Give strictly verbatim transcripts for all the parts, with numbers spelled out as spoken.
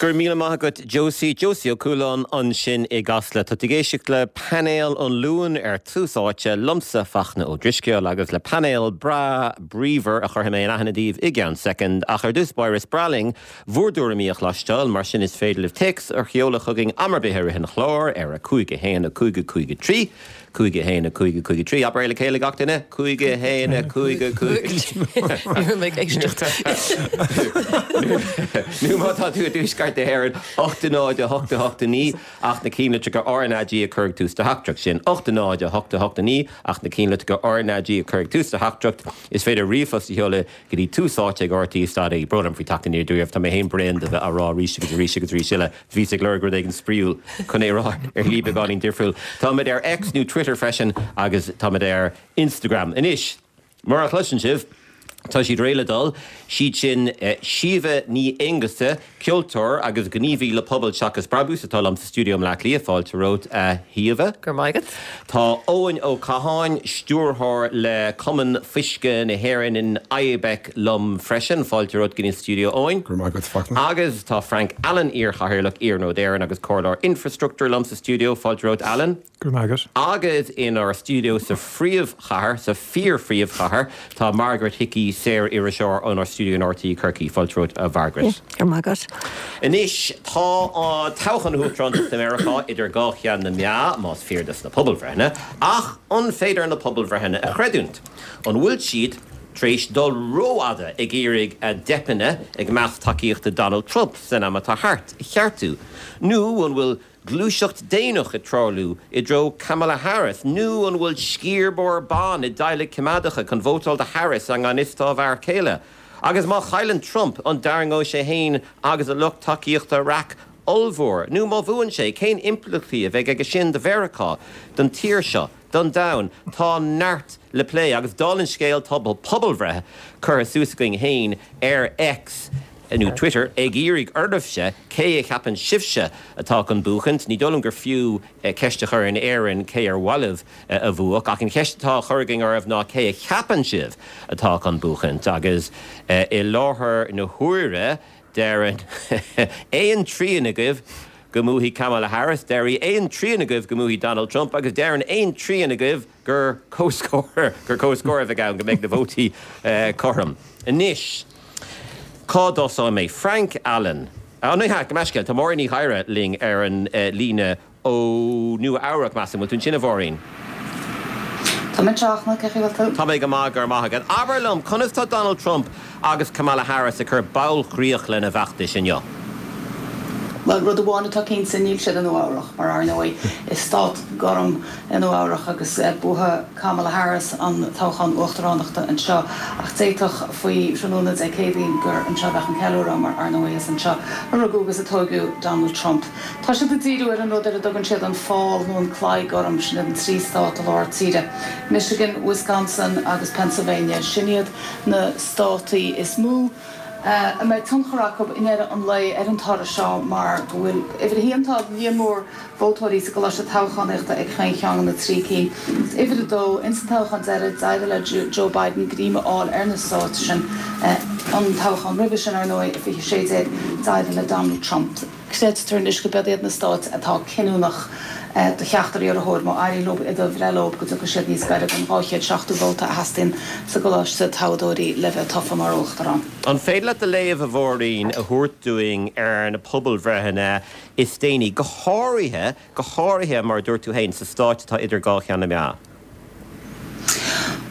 Go raibh míle maith agat Josie Josie Ó Cualáin ansin i gCasla Tá tú ag éisteacht le painéal an Luain ar Tús Áite liomsa Fachtna Ó Drisceoil agus le painéal breá bríomhar a chuirfidh mé in aithne daoibh i gceann soicind ach ar dtús báire is breá linn bhur dtuairimí a chloisteáil mar sin is féidir libh téacs a sheoladh chugainn am ar bith i rith an chláir ar a cúig a haon a cúig a cúig a trí. Cúig a haon a cúig a cúig a trí abair le chéile gach duine cúig a haon a cúig a cúig ag éisteacht. Nó má tá tú i dtuaisceart na hÉireann ocht náid a hocht a hocht naoi ach na ceannlitreacha RnaG a chur ag tús do theachtaireacht sin ocht náid a hocht a hocht naoi ach na ceannlitreacha RnaG a chur ag tús do theachtaireacht is féidir ríomhphost a sheoladh go dtí tús áite ag RTÉ dot ie brón orm faoi teacht aniar dúibh tá mé féin bréan de bheith á rá arís agus arís agus arís eile bhíos ag lorg rud éigin spraíúil chun é a rá ar shlí beagáinín difriúil. Táimid ar X nó Twitter freisin agus táimid ar Instagram. Anois, mar a chloiseann sibh, Tá siad réidh le dul, siad sin Síomha Ní Aonghusa, ceoltóir agus gníomhaí le Pobal Seachas Brabús atá liom sa stiúideo i mBleá Cliath, fáilte romhat a Shíomha. Go raibh maith agat. Tá Eoin Ó Catháin, stiúrthóir le Cumann Fuisce na hÉireann in IBEC liom freisin, fáilte romhat go dtí an stiúideo Eoin. Go raibh maith agat Fachtna. Agus tá Frank Allen iar-chathaoirleach Iarnród Éireann agus comhairleoir infreastruchtúir liom sa stiúideo, fáilte romhat Alan. Go raibh maith agat. Agus inár stiúideo sa phríomhchathair sa fíor-phríomhchathair tá Margaret Hickey saor-iriseoir ónár stiúideo in RTÉ Corcaigh fáilte romhat a Mhargaret. Go raibh maith agat. Anois tá toghchán na huachtaránachta i Meiriceá idir dhá cheann na meá más fíor dos na pobalbhreitheanna, ach an féidir na pobalbhreitheanna a chreidiúint? An bhfuil siad tar éis dul rófhada ag iarraidh a dteipeanna ag meas tacaíochta Donald Trump san am atá thart a cheartú? Nó an bhfuil gluaiseacht déanach ag tarlú i dtreo Kamala Harris nó an bhfuil sciar mór ban i dteaghlaigh choimeádacha chun vótáil do Harris i ngan fhios dá bhfear céile. Agus má chailleann Trump an dtarraingeoidh sé féin agus a lucht tacaíochta raic ollmhór, nó má bhuann sé, cén impleachtaí a bheidh aige sin do Mheiriceá, don tír seo, don domhan? Tá neart le plé agus dála an scéil tá pobalbhreith curtha suas againn féin ar X nó Twitter ag iarraidh oraibhse cé a cheapann sibhse atá chun buachaint. Ní dóigh liom gur fiú ceist a chur in Éirinn cé ar mhaith libh a bhuafadh, ach an cheist atá á chur againn oraibh ná cé a cheapann sibh atá chun buachaint agus i láthair na huaire deireann aon trian agaibh go mbuafaidh Kamala Harris, deireann aon trian agaibh go mbuafaidh Donald Trump agus deireann aon trian agaibh gur comhscór gur comhscór a bheidh ann go mbeidh na vótaí cothrom. Anois cá dtosóidh mé? Frank Allen. Á ní hea, gabh mo leithscéal, tá Máirín Ní Ghadhra linn ar an líne ó Nua Eabhrac, measaim. Bhfuil tú ansin a Mháirín? Tá mé anseo, cén chaoi a bhfuil tú? Tá mé go maith, go raibh maith agat. Abair liom, conas tá Donald Trump agus Kamala Harris ag cur bailchríoch lena bhfeachtais inniu? Bhuel, rud amháin atá cinnte, níl siad i Nua Eabhrac, mar ar ndóigh, is stát gorm é Nua Eabhrac agus buafaidh Kamala Harris an toghchán uachtaránachta anseo. Ach d'fhéadfadh faoi thráthnóna Dé Céadaoin gur anseo a bheadh an ceiliúradh, mar ar ndóigh is anseo a rugadh agus a tóigeadh Donald Trump. Tá siad ag díriú ar an rud ar a dtugann siad an fál nó an claí gorm, sin iad an trí stát i lár tíre, Michigan, Wisconsin agus Pennsylvania. Sin iad na státaí is mó a mbeidh tionchar acu i ndeireadh an lae ar an toradh seo mar go bhfuil, uimhir a haon, tá líon mór vótóirí sa gcoláiste toghchánaíochta ag chaon cheann de na trí cinn agus uimhir a dó, ins an toghchán deiridh, d'éirigh le Joe Biden greim a fháil ar na stáit sin. An toghchán roimhe sin, ar ndóigh, i fiche sé déag, d'éirigh le Donald Trump. Creidtear anois go b'iad iad na stáit atá cinniúnach do cheachtar iarrthóir. Má éiríonn leo iad a bhreith leo, go dtiocfaidh siad níos gaire don dhá chéad seachtó vóta a theastaíonn sa gcoláiste toghadóirí le bheith tofa mar uachtarán. An féidir leat do léamh, a Mháirín, a thabhairt dúinn ar na pobalbhreitheanna is déanaí, go háirithe, go háirithe, mar a dúirt tú féin, sa stáit atá idir dhá cheann na meá?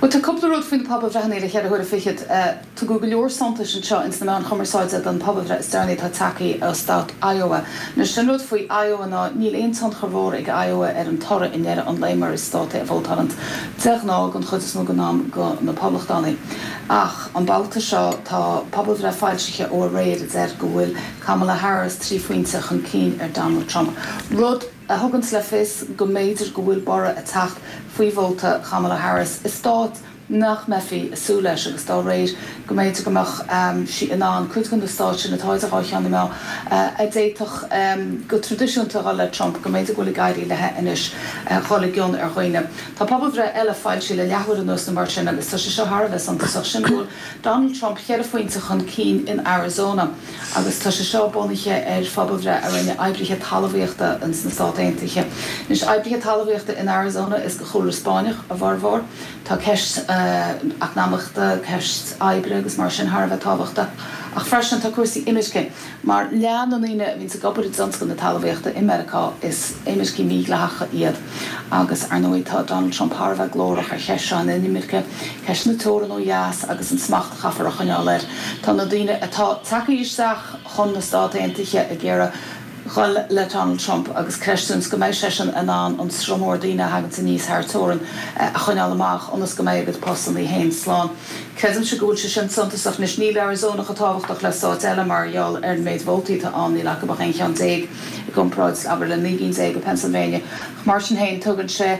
Bhuel, tá cúpla rud faoi na pobalbhreitheanna le ceithre huaire fichead. Tugadh go leor suntais anseo ins na meáin chumarsáide don phobalbhreith is deireanaí atá tagtha ó stát Iowa. Anois, an rud faoi Iowa ná níl aon tionchar mhór ag Iowa ar an toradh i ndeireadh an lae mar is stát é a vótálann de ghnáth don chuid is mó den am do na Poblachtánaigh. Ach an babhta seo tá pobalbhreith foilsithe ó aréir a deir go bhfuil Kamala Harris trí phointe chun cinn ar Donald Trump, rud a thuganns le fios go mb'fhéidir go bhfuil borradh ag teacht faoi vóta Kamala Harris i stát nach mbeifí ag súil leis agus dá réir go mb'fhéidir go mbeadh sí in ann cuid de na stáit sin atá idir dhá cheann na meá a d'fhéadfadh go traidisiúnta dhul le Trump, go mb'fhéidir go bhfuil ag éirí léi anois dhul i gcion ar dhaoine. Tá pobalbhreith eile foilsithe le leathuair anuas nó mar sin agus tá sé seo thar a bheith suntasach, sin go bhfuil Donald Trump ceithre phointe chun cinn in Arizona agus tá sé seo bunaithe ar phobalbhreith a rinne oibrithe talmhaíochta ins na Stáit Aontaithe. Anois, oibrithe talmhaíochta in Arizona is de chúlra Spáinneach a bhformhór. Tá ceist eacnamaíochta, ceist oibre agus mar sin thar a bheith tábhachtach. Ach freisin tá cúrsaí imirce, mar leath na ndaoine a bhíonns ag obair i dtionscal na talmhaíochta i Meiriceá is imircigh mhídhleathacha iad. Agus ar ndóigh tá Donald Trump thar a bheith glórach ar cheist seo na hinimirce, ceist na teorann ó dheas agus an smacht a chaithfear a choinneáil air. Tá na daoine atá tagtha isteach chun na Stát Aontaithe ag iarraidh dhul le Donald Trump agus creidiúint go mbeidh seisean in ann an sruth mór daoine a thaganns aníos thar teorainn a choinneáil amach ionas go mbeidh a gcuid postanna féin slán. Creidimse go bhfuil sé sin suntasach. Anois níl Arizona chomh tábhachtach le stáit eile mar gheall ar an méid vótaí atá ann, níl acu ach aon cheann déag i gcomparáid, abair, le naoi gcinn déag i Pennsylvania. Ach mar sin féin tugann sé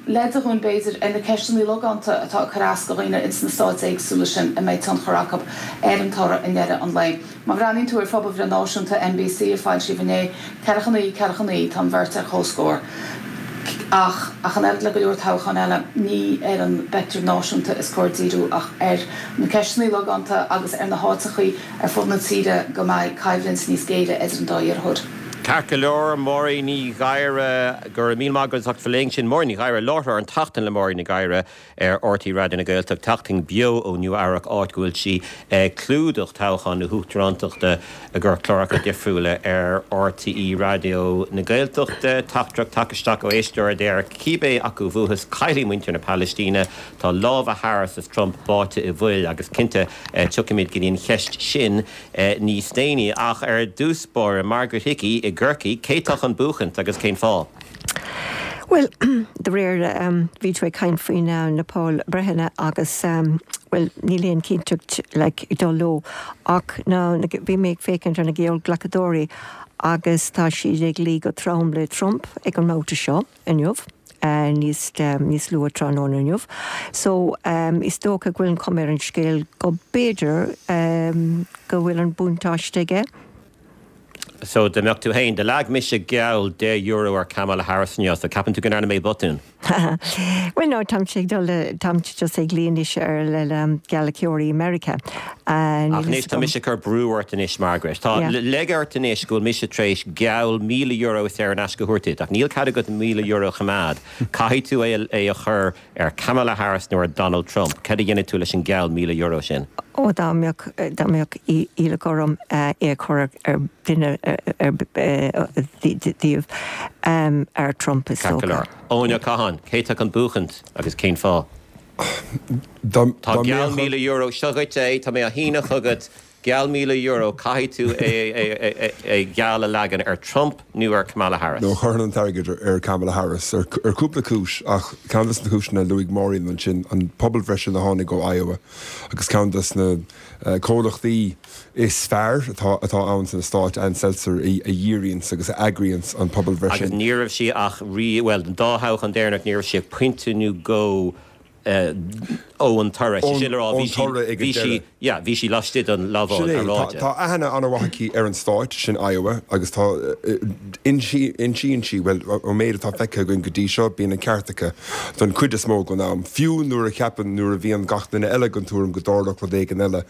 leide dhúinn b'fhéidir ar na ceisteanna logánta atá ag cur as do dhaoine ins na stáit éagsúla sin a mbeidh tionchar acu ar an toradh i ndeireadh an lae. Má bhreathnaíonn tú ar phobalbhreith náisiúnta NBC a foilsíodh inné, ceathracha naoi, ceathracha naoi, tá an bheirt ar comhscór. Ach, ach an oiread le go leor toghchán eile, ní ar an bpeictiúr náisiúnta is cóir díriú ach ar na ceisteanna logánta agus ar na háiteachaí ar fud na tíre go mbeidh coimhlint níos géire idir an dá iarrthóir. Ceart go leor, Máirín Ní Ghadhra, go raibh míle maith agat as ucht bheith linn sin. Máirín Ní Ghadhra, láithreoir An tSeachtain le Máirín Ní Ghadhra ar RTÉ Raidió na Gaeltachta, tseachtain beo ó Nua Eabhrac, áit go bhfuil sí ag clúdach toghchán na huachtarántachta i gcomhair cláracha difriúla ar RTÉ Raidió na Gaeltachta. Teachtaireacht tagtha isteach ó éisteoir a deir, cibé acu a bhuafas, caillfidh muintir na Palaistíne, tá lámha Harris is Trump báite i bhfuil agus cinnte tiocfaimid go dtí an cheist sin níos déanaí. Ach ar dtús báire, Margaret Hickey i gCorcaigh, cé tá chun buachaint agus cén fáth? Well, de réir um, bhí tú ag caint faoi na na pobalbhreitheanna agus um, well, níl aon chinnteacht like, dul leo ach na, na, bhí mé ag féachaint ar na geallghlacadóirí agus tá siad ag luí go trom le Trump ag an mbabhta seo inniu. Uh, níos um, níos luaithe tráthnóna inniu. So um, is dócha go bhfuil an chuma ar an scéal go b'fhéidir um, go bhfuil an buntáiste aige. So dá mbeadh tú féin, do leag mise geall deich euro ar Kamala Harris inniu, so ceapann tú go ndearna mé botún. Well no, tá sé dul tá just ag línis ar le um, geallghlacadóirí America. Ach anois tá mise cur brú ort anois Margaret. Tá leg ort anois go bhfuil mise tar éis geall míle euro is ar an aisce thuirtid, ach níl cead agat míle euro a choimeád. Caithfidh tú é é a chur ar Kamala Harris nó ar Donald Trump. Cad a dhéanfaidh tú leis an geall míle euro sin? Ó dá mbeadh dá mbeadh iallach orm é a chur ar duine ar díobh ar Trump is dócha. Eoin Ó Catháin, cé tá chun buachaint agus cén fáth? Tá geall míle euro seo dhuit é, tá mé á shíneadh chugat geall míle euro caithfidh tú é geall a leagan ar Trump nó ar Kamala Harris. No chuirfinn an t-airgead ar Kamala Harris ar cúpla cúis ach ceann de na cúiseanna a luaigh Máirín ansin an pobalbhreith sin a tháinig ó Iowa agus ceann de na comhlachtaí is fearr atá atá ann sna Stáit Ann Selzer a dhíríonns agus a eagraíonns an pobalbhreith sin. Agus ní raibh sí ach rí well den dá thoghchán deireanach ní raibh sí ach pointe nó dhó ó an toradh. Sé sin le rá bhí sí bhí sí yeah bhí sí laistigh den lamháil earráide. Tá aithne an-mhaith aici ar an stát sin Iowa agus tá insíonn sí bhuel ón méid atá feicthe againn go dtí seo bíonn an ceart aici don chuid is mó den am, fiú nuair a cheapann nuair a bhíonn gach duine eile den tuairim go dtarlódh rud éigin eile.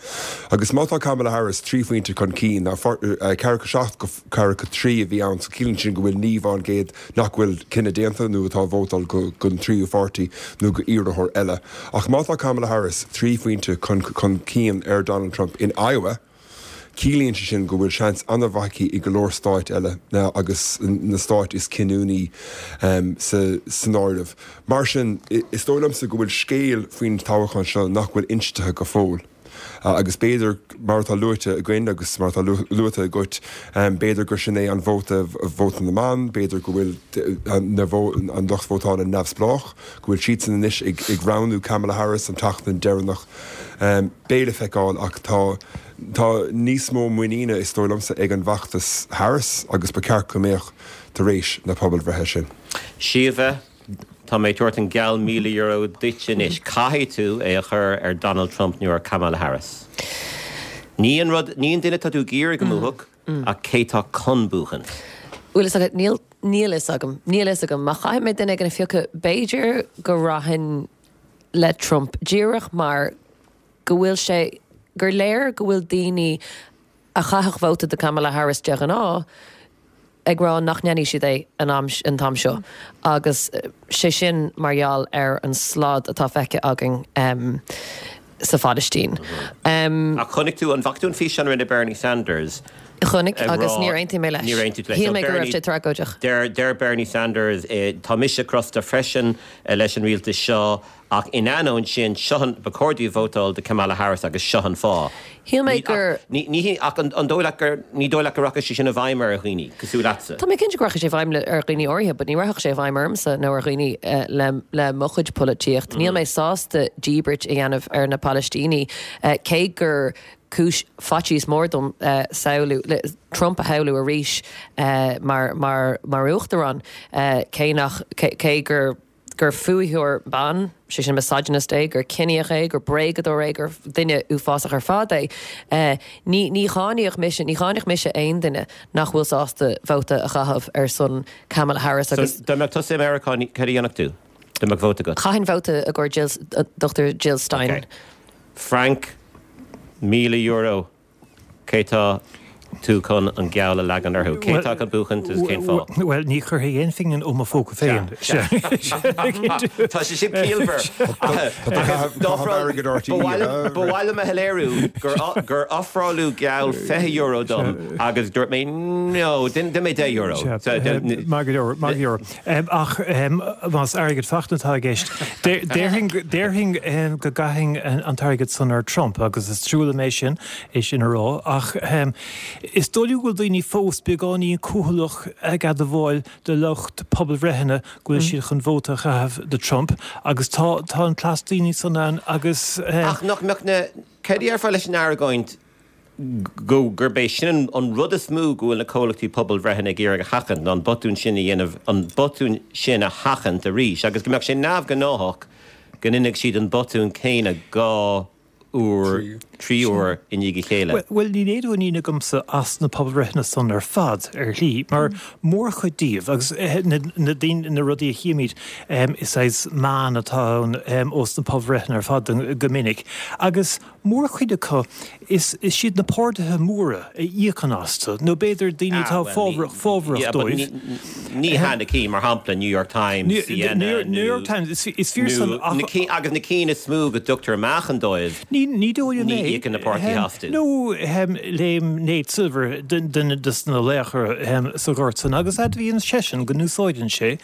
Agus má tá Kamala Harris trí phointe chun cinn, ná ceathracha seacht go ceathracha trí a bhí ann so ciallaíonn sin go bhfuil naoi bhfán gcéad nach bhfuil cinneadh déanta nó atá ag vótáil don tríú pháirtí nó go iarrthóir eile. Ach má tá Kamala Harris trí phointe chun chun cinn ar Donald Trump in Iowa, ciallaíonn sé sin go bhfuil seans an-mhaith aici i go leor stáit eile agus na stáit is cinniúnaí um, sa, san áireamh. Mar sin, is dóigh liomsa go bhfuil scéal faoin toghchán seo nach bhfuil inste go fóill. Agus b'fhéidir mar atá luaite againn agus mar atá luaite agat, b'fhéidir gur sin é an vóta vóta na mban, b'fhéidir go bhfuil an lucht vótála neamhspleách, go bhfuil siadsan anois ag roghnú Kamala Harris an tseachtain deireanach. Beidh le feiceáil ach tá tá níos mó muiníne is dóigh liomsa ag an bhfeachtas Harris agus ba cheart go mbeadh tar éis na pobalbhreithe sin. Síomha, Tá mé ag tabhairt an geall míle euro duit anois. Caithfidh tú é a chur ar Donald Trump nó ar Kamala Harris. Ní an rud, ní an duine atá tú ag iarraidh go mbuafadh, ach cé tá chun buachan. Bhfuil fhios agat, níl, níl fhios agam, níl fhios agam. Má chaithfidh mé duine éigin a phiocadh, b'fhéidir go rachainn le Trump, díreach mar go bhfuil sé, gur léir go bhfuil daoine a chaithfeadh vóta do Kamala Harris de ghnáth, ag rá nach ndéanfaidh siad é an am an t-am seo agus sé sin mar gheall ar an slad atá feicthe againn um, sa Phalaistín. Um, Ach chonaic tú an bhfaca tú an físeán a rinne Bernie Sanders? Chonaic agus níor aontaigh mé leis. Níor aontaigh leis. Shíl mé go raibh sé tragóideach. Deir deir Bernie Sanders eh, tá mise crosta freisin eh, leis an rialtas seo Ach in ainneoin sin, seo an, ba chóir daoibh vótáil do Kamala Harris agus seo an fáth. Shíl mé gur. Ní, ní, ach an, an dóigh leat gur, ní dóigh leat go rachaidh sé sin i bhfeidhm ar dhaoine cosúil leatsa? Tá mé cinnte go rachaidh sé i bhfeidhm ar dhaoine áirithe, but ní rachadh sé i bhfeidhm ormsa nó ar dhaoine le, le mo chuid polaitíocht. Níl mé sásta díbirt a dhéanamh ar na Palaistínigh, cé gur cúis faitíos mór dom samhlú, Trump a shamhlú arís mar, mar, mar uachtarán, cé nach, cé gur. gur fuathóir ban, sé sin misogynist é, gur ciníoch é, gur bréagadóir é, gur duine uafásach ar fad é. Ní ní cháinfeadh mise, ní cháinfeadh mise aon duine nach bhfuil sásta vóta a chaitheamh ar son Kamala Harris agus. So dá mbeadh tusa i Meiriceá, céard a dhéanfadh tú? Dá mbeadh vóta agat? Chaithfinn vóta i gcomhair Jill, Dochtúir Jill Stein. Ok. Frank, míle euro. Cé tá tú chun an geall a leagan orthu? Cé tá chun buachaint agus cén fáth? Bhuel, ní chuirfidh aon phingin ó mo phóca féin. Tá sé sin ciallmhar. Ba mhaith liom a shoiléiriú gur ofráladh geall fiche euro dom agus dúirt mé no, dúirt mé deich euro. Maith go leor, maith go leor. Ach más airgead fachta atá i gceist, déarfainn go gcaithfinn an t-airgead san ar Trump agus is trua liom é sin. é sin a rá, ach is dóigh liom go bhfuil daoine fós beagáinín cúthaileach ag admháil do lucht pobalbhreitheanna go bhfuil siad chun vóta a chaitheamh do Trump agus tá tá an claas daoine san ann agus. Ach nach mbeadh na, céard a déarfá leis an argóint go gurb é sin an rud is mó go bhfuil na comhlachtaí pobalbhreitheanna ag iarraidh a sheachaint ná an botún sin a dhéanamh, an botún sin a sheachaint arís agus go mbeadh sé neamhghnáthach go ndéanfadh siad an botún céanna dhá uair, trí huair i ndiaidh a chéile. Bhuel, níl aon mhuinín agamsa as na pobalbhreitheanna san ar fad, ar shlí, mar mórchuid díobh, agus na daoine, na rudaí a chímid, is saghas meán atá ann ós na pobalbhreitheanna ar fad go minic, agus mórchuid acu, is iad na páirtithe móra a íocann astu, nó b'fhéidir daoine atá fábharach dóibh. Ní hea na cinn, mar shampla, New York Times, CNN, nó. New York Times, is fíor san ach. Agus na cinn is mó go dtugtar meáchan dóibh. Ní dóigh liom é. Ní íocann na páirtithe astu. Nó léim Nate Silver, duine de na laochra sa ghort san, agus admhaíonn seisean go n-úsáideann sé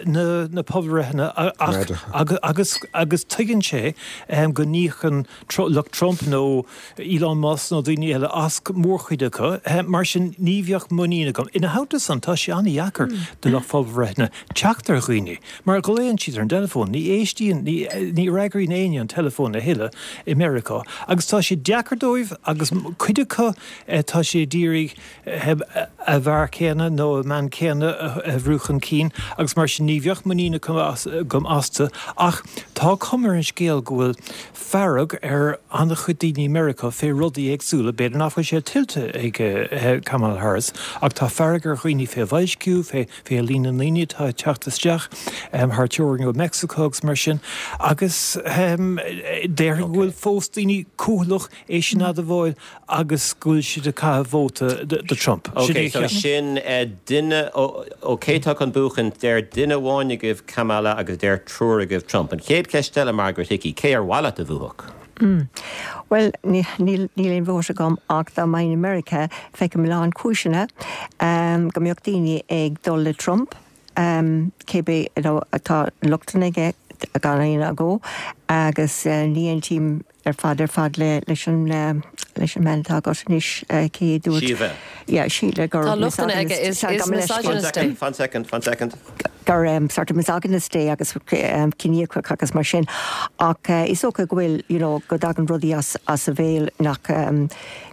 na pobalbhreitheanna ach agus tuigeann sé go n-íocann lucht Trump nó Elon Musk nó daoine eile as mórchuid acu. Mar sin, ní bheadh muinín agam. Ina theannta san, tá sé an-dheacair do lucht pobalbhreitheanna teacht ar dhaoine, mar glaonn siad ar an dteileafón, ní éistíonn, ní fhreagraíonn éinne an teileafón a thuilleadh i Meiriceá. Agus tá sé deacair dóibh agus cuid acu tá siad ag iarraidh a bhfear céanna nó a mbean céanna a bhrú chun cinn agus mar sin ní bheadh muinín agam astu ach tá cuma ar an scéal go bhfuil fearg ar an-chuid daoine i Meiriceá fé rudaí éagsúla. B'fhéidir nach bhfuil sé tuillte ag Kamala Harris ach tá fearg ar dhaoine fé bhoilsciú, fé fé líon na ndaoine atá ag teacht isteach thar teorainn ó Mheicsiceo agus mar sin agus déarfainn go bhfuil fós daoine cúthaileach é sin a admháil agus go bhfuil siad ag caitheamh vóta do Trump. Sin é a cheapaim. Sin duine ó cé tá chun buachaint, deir duine amháin agaibh Kamala agus deir triúr agaibh Trump. An chéad cheist eile, Margaret Hickey, cé ar mhaith leat a bhuafadh? Bhuel, níl aon vóta agam ach dá mbeinn i Meiriceá, feicim a lán cúiseanna go mbeadh daoine ag dul le Trump, cibé tá lochtanna aige gan aon agó agus ní aontaím ar fad ar fad leis an leis an mbean atá agat anois cé a dúirt Síomha. Yeah, Síle gur Tá lochtanna aige, is is misogynist é. Fan second, fan second. gur um, sort of misogynist é agus um, ciníoch agus mar sin ach uh, is dócha go bhfuil you know, go dtagann rudaí as, as a bhéal nach um,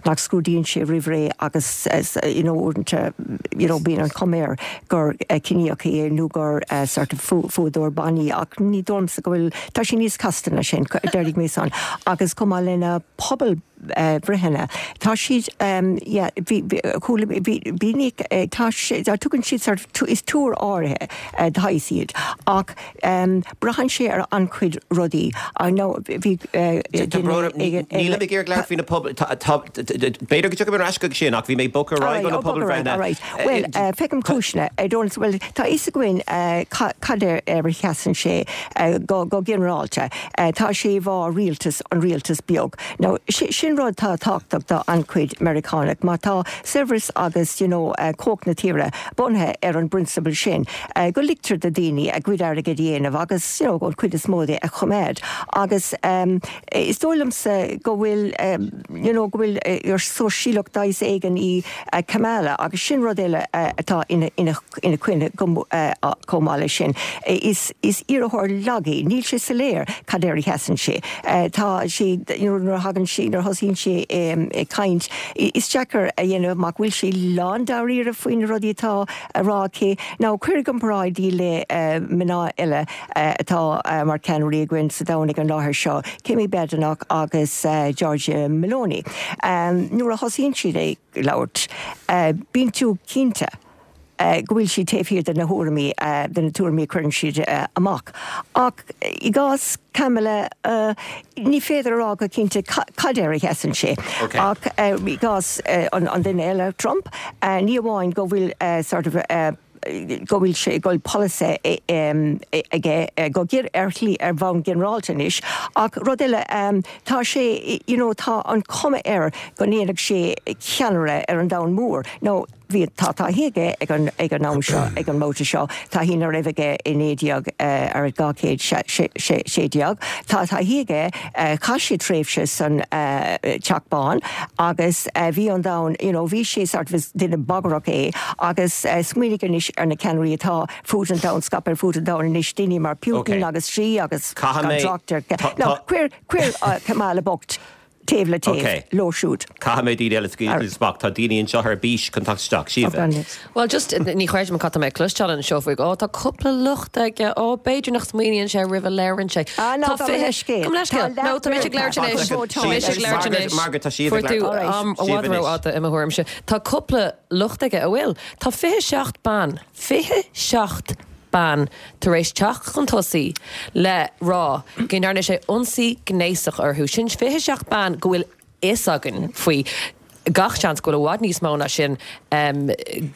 nach scrúdaíonn sé roimh ré agus as, you know, uaireanta, you know, bíonn an chuma air gur uh, ciníoch é nó gur uh, sort of fuadóir ban ach ní dóigh liomsa go bhfuil tá sé níos casta ná sin déarfaidh mé san agus chomh maith lena pobal uh, bhreitheanna. Tá siad um, yeah, bhí bhí tá tugann siad sort of is tuar áirithe uh, d'athais iad ach um, braitheann sé ar an-chuid rudaí nó bhí Níl ag iarraidh labhairt faoi na pobal b'fhéidir go dtiocfaidh ar ais go sin ach bhí mé bogadh ar aghaidh na pobalbhreitheanna. Well uh, feicim cúiseanna don't well tá fhios againn uh, cad ar ar sheasann sé uh, go, go ginearálta uh, tá sé bhá rialtas an rialtas beag. Now sin rud tá tábhachtach do an-chuid Meiriceánach má tá saibhreas agus you know, uh, cumhacht na tíre bunaithe ar an bprionsabal sin uh, go ligtear do daoine a gcuid airgid a dhéanamh agus you know, go cuid is mó de a choimeád agus um, is dóigh liomsa go bhfuil um, you know, go bhfuil uh, sóisialach d'aos éigin í uh, Kamala agus sin rud eile uh, atá ina, ina, ina coinne uh, chomh maith leis sin. Is, is iarrthóir lag é, níl sé soiléir cad air a sheasann sé. Uh, tá sé you know, nuair a thagann sé nuair thosaíonn sé um, caint. Is deacair a dhéanamh amach bhfuil sé lándáiríre faoi na rudaí atá á rá aici. Ná cuir i gcomparáid í le uh, mná eile uh, atá uh, mar ceannairí againn sa domhan ag an láthair seo, Kemi Badenoch agus uh, Giorgia Meloni. Um, nuair a thosaíonn siad ag labhairt, uh, bíonn tú cinnte uh, go bhfuil siad taobh thiar de na thuairimí uh, de na tuairimí cuireann siad uh, amach. Ach i gcás Kamala uh, ní féidir rá go cinnte cad air a sheasann sé. Okay. Ach uh, i gcás uh, an, an duine eile Trump, uh, ní amháin go bhfuil uh, sort of uh, go bhfuil sé go polasaí aige go gir ar shlí ar bhonn ginearálta anois ach rud eile tá sé you know, tá an chuma air go ndéanfaidh sé ceannaire ar an domhan mór. No, bhí tá taithí aige ag an ag an am seo ag an mbabhta seo taithí nach raibh aige i naoi déag ar dhá chéad sé déag Tá taithí aige chaith sé tréimhse san Teach Bán agus bhí an domhan you know, bhí sé sort of duine bagrach é agus smaoinigh anois ar na ceannairí atá fud an domhain scaipthe ar fud an domhain anois daoine mar Putin Okay. agus Xi agus Caithfidh mé- trácht No, cuir cuir Kamala bocht taobh le taobh Okay. leo siúd. Caithfidh mé daoine eile scaoileadh tá daoine anseo ar bís chun teacht isteach Síomha. Well just ní chreidim cad mé cloisteáil anseo faoi ó tá cúpla locht aige ó b'fhéidir nach smaoiníonn sé roimh a labhrann sé. Ah, no, Tá gabh fiche- leithscéal. Gabh leithscéal. Tá No, tá mé ag labhairt anois. Tá Tá mé ag labhairt anois. Margaret, tá Síomha Fuair ag tú labhairt. am i Síomha bhfad anois. rófhada i mo thuairimse. Tá cúpla locht aige a bhfuil. Tá fiche seacht ban, fiche seacht ban tar éis teacht chun tosaigh le rá go ndearna sé ionsaí gnéasach orthu. Sin fiche seacht ban go bhfuil fhios againn faoi gach seans go bhfuil i bhfad níos mó ná sin um,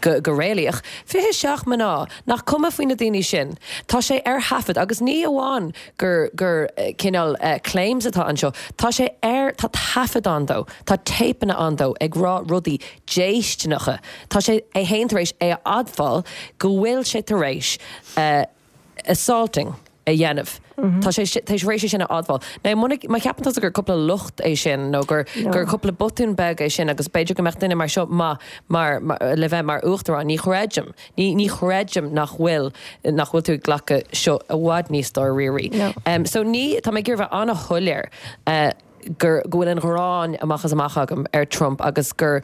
go, go réalaíoch. Fiche seacht mná nach cuma faoi na daoine sin. Tá sé ar thaifead agus ní amháin gur gur eh, cineál uh, claims atá anseo. Tá sé ar tá taifead ann dó, Tá téipeanna ann dó ag rá rudaí déistineacha. Tá sé é féin tar éis é a admháil go bhfuil sé tar éis uh, assaulting a dhéanamh. Tá sé tá sé sin a admháil. Now má cheapann tú gur cúpla locht é sin nó gur gur cúpla botún beag é sin agus b'fhéidir go mbeadh duine mar seo má mar, mar le bheith mar uachtarán ní chreidim. Ní ní chreidim nach bhfuil nach bhfuil tú ag glacadh seo i bhfad níos dáiríre. No. Um, so ní tá mé ag iarraidh bheith an-shoiléir uh, gur go bhfuil an ghráin amach as amach agam ar Trump agus gur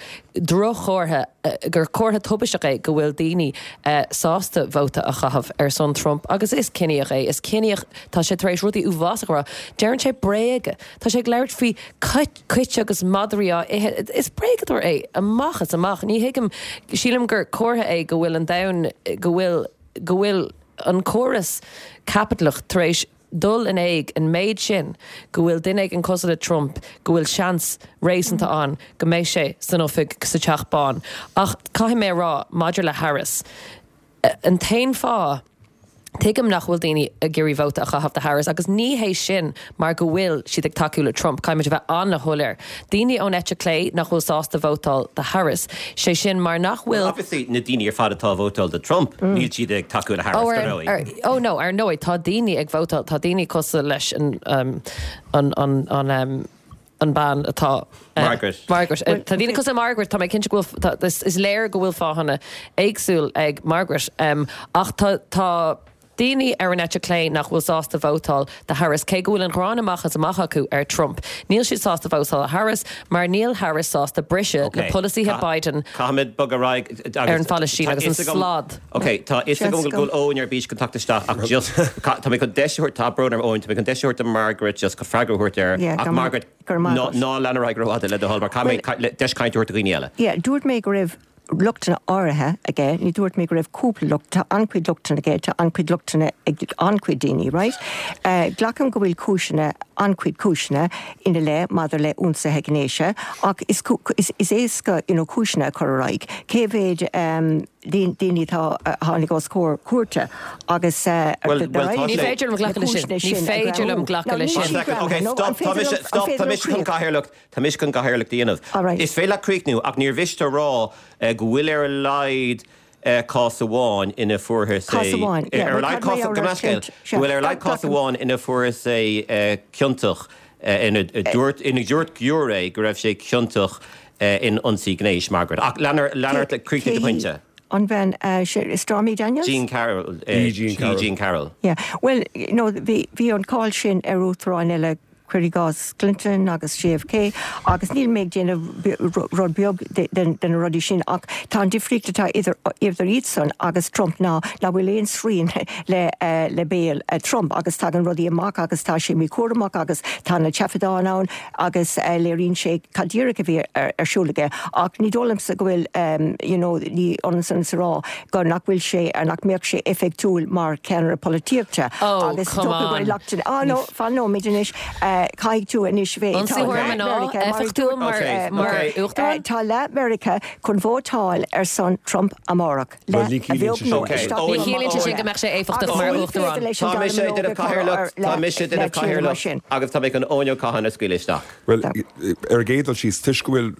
drochchomhartha uh, gur comhartha tubaisteach é go bhfuil daoine uh, sásta vóta a chaitheamh ar son Trump agus is ciníoch é is ciníoch tá sé tar éis rudaí uafásacha a rá Deireann sé bréaga Tá sé ag labhairt faoi cait agus madraí á ithe is bréagadóir é amach is amach ní thuigim sílim gur comhartha é go bhfuil an domhan go bhfuil go bhfuil an córas caipitleach tar éis dul in éag an méid sin go bhfuil duine éigin cosúil le Trump go bhfuil seans réasúnta ann go mbeidh sé san oifig sa Teach Bán. Ach caithfidh mé rá maidir le Harris. An t-aon fáth Tuigim nach bhfuil daoine ag iarraidh vóta a chaitheamh do Harris agus ní hé sin mar go bhfuil siad ag tacú le Trump caithfimid a bheith an-shoiléir. Daoine ón eite clé nach bhfuil sásta vótáil do Harris, sé sin mar nach bhfuil Obviously na daoine ar fad atá ag vótáil do Trump níl siad ag tacú le Harris Oh, dar ar, ndóigh. ar, oh no, ar ndóigh tá daoine ag vótáil tá daoine cosúil leis an um, an an an um, an bean atá Margaret. Margaret. Tá daoine cosúil le Margaret tá mé cinnte go bhfuil is léir go bhfuil fáthanna éagsúil ag Margaret um, ach tá tá daoine ar an eite clé nach bhfuil sásta vótáil do Harris cé go bhfuil an ghráin amach is amach acu ar Trump. Níl siad sásta vótáil Harris mar níl Harris sásta briseadh le polasaithe Biden Caithfimid bogadh ar an Phalaistín agus an slad. Ok, tá is go bhfuil Eoin ar bís chun teacht isteach ach just tá mé chun deis tá brón orm Eoin, tá mé chun deis do Margaret just go freagra a thabhairt air ach Margaret ná lean ar aghaidh rófhada le do thoil mar caithfidh deis cainte a thabhairt do dhaoine eile. Yeah, dúirt mé go raibh lochtanna áirithe aige, ní dúirt mé go raibh cúpla locht, tá an-chuid lochtanna aige, tá an-chuid lochtanna ag an-chuid daoine, right? Uh, glacaim go bhfuil cúiseanna an-chuid cúiseanna ina leith maidir le ionsaithe gnéis, ach is, is, is éasca you know, cúiseanna a chur ar aghaidh. Cé mhéad um, daoine atá tháinig os comhair cúirte agus uh, well, well, ní féidir liom glacadh leis sin. Ní féidir liom glacadh leis sin. Okay, stop, tá mise stop, tá mise chun cathaoirleacht, tá mise chun cathaoirleacht a dhéanamh. Is féidir leat críochnú ach níor mhiste rá eh, go bhfuil ar a laghad eh, cás amháin ina fuarthas Cás amháin, yeah, ar a laghad cás go bhfuil ar a laghad cás amháin ina fuarthas é eh, ciontach ina dúirt ina dúirt giúiré go raibh sé ciontach in ionsaí gnéis Margaret. Ach lean lean críochnaigh do phointe. An bhean uh, Stormy Daniels? Jean Carroll. Uh, E. Jean Carroll. E. Jean Carroll. Yeah. Well, you know, bhí bhí an cáil sin ar uachtaráin eile cuir i gcás Clinton agus JFK agus níl mé ag déanamh rud beag den na rudaí sin ach tá an difríocht atá idir idir iadsan agus Trump ná nach bhfuil aon srian le uh, le béal uh, Trump agus tagann rudaí amach agus tá sé míchúramach agus tá na taifeadtáin ann agus uh, léiríonn sé cad díreach a bhí ar, ar siúl aige ach ní dóigh liomsa go bhfuil um, you know, ní ionann san is a rá go nach bhfuil sé ar nach mbeadh sé éifeachtúil mar ceannaire polaitíochta Oh, agus come on. Ah no fan no méid anois caithfidh tú anois bheith Ionsaítheoir mná éifeachtúil mar mar uachtarán? Tá leath Meiriceá chun vótáil ar son Trump amárach. Well, ní ciallaíonn sé sin. Ní chiallaíonn sé sin go mbeadh sé éifeachtach mar uachtarán. Tá mise ag déanamh cathaoirleacht, tá mise ag déanamh cathaoirleacht agus tá mé chun Eoin Ó Catháin a scaoileadh isteach. Well, ar an gcéad dul síos toisc go bhfuil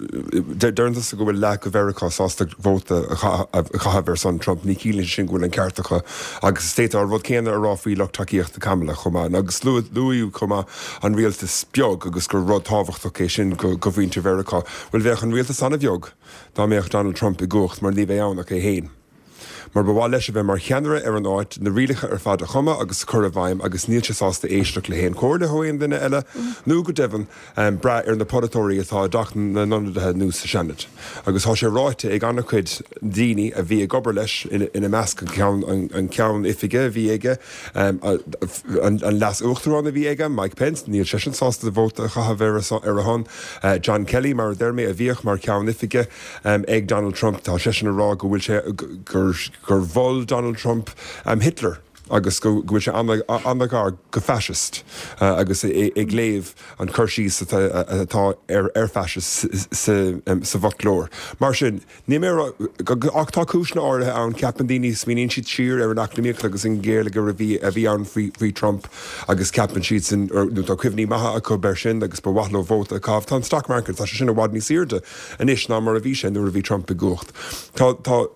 deireann tusa go bhfuil leath de Mheiriceá sásta vóta a chaitheamh ar son Trump, ní chiallaíonn sé sin go bhfuil an ceart acu agus is d'fhéadfá an rud céanna a rá faoi lucht tacaíochta Kamala chomh maith agus luadh chomh maith an rialtas beag agus gur rud tábhachtach é sin go go mhuintir Mheiriceá. Well bheadh an rialtas an-bheag dá mbeadh Donald Trump i gcumhacht mar ní bheadh ann ach é féin. Mar ba mhaith leis a bheith mar cheannaire ar an áit na rialacha ar fad a chumadh agus a chur i bhfeidhm agus níl sé sásta éisteacht le haon chomhairle ó aon duine eile nó go deimhin um, brath ar na polaiteoirí atá i dTeach na nIonadaithe nó sa Seanad. Agus tá sé ráite ag an-chuid daoine a bhí ag obair leis ina, ina measc an ceann, an, an ceann oifige a bhí aige, um, an, an leas-uachtarán a bhí aige, Mike Pence, níl seisean sásta vóta a chaitheamh ar a, ar a shon. Uh, John Kelly mar a deir mé a bhíodh mar ceann oifige um, ag Donald Trump, tá seisean ag rá go bhfuil sé gur gur mhol Donald Trump um, Hitler agus go bhfuil sé an-ghar go fascist uh, agus ag léamh an cur síos atá ar ar fascist sa, um, sa bhfoclóir. Mar sin ní mé ach tá cúiseanna áirithe ann ceapann daoine smaoiníonn siad siar ar an eacnamaíocht agus an géarchéim a bhí a bhí ann faoi faoi Trump agus ceapann siad sin nó tá cuimhní maithe acu air sin agus ba mhaith leo vóta a chaitheamh tá an stock market tá sé sin i bhfad níos airde anois ná mar a bhí sé nuair a bhí Trump i gcumhacht. Tá tá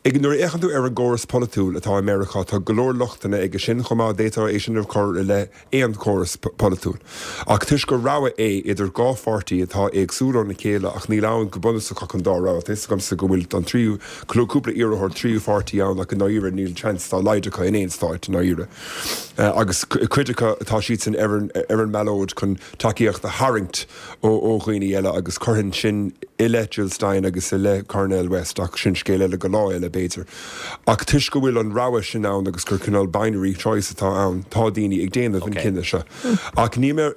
Ag nuair a fhéachann tú ar an gcóras polaitiúil atá i Meiriceá tá go leor lochtanna aige sin chomh maith d'fhéadfá é sin a chur i leith aon chóras polaitiúil. Ach toisc gur rogha é idir dhá pháirtí atá éagsúil óna chéile ach níl ann go bunúsach ach an dá rogha. Tá agamsa go bhfuil an tríú cúpla iarrthóir tríú pháirtí ann ach i ndáiríre níl seans dá laghad acu in aon stát i ndáiríre. Uh, agus cuid acu atá siad san ar an, ar an mballóid chun tacaíocht a tharraingt ó ó dhaoine eile agus cuireann sin i leith Jill Stein agus i leith Cornel West ach sin scéal eile go lá eile b'fhéidir. Ach toisc go bhfuil an rogha sin ann agus gur cineál binary choice atá ann, tá daoine ag déanamh an cinneadh seo. Ach ní mé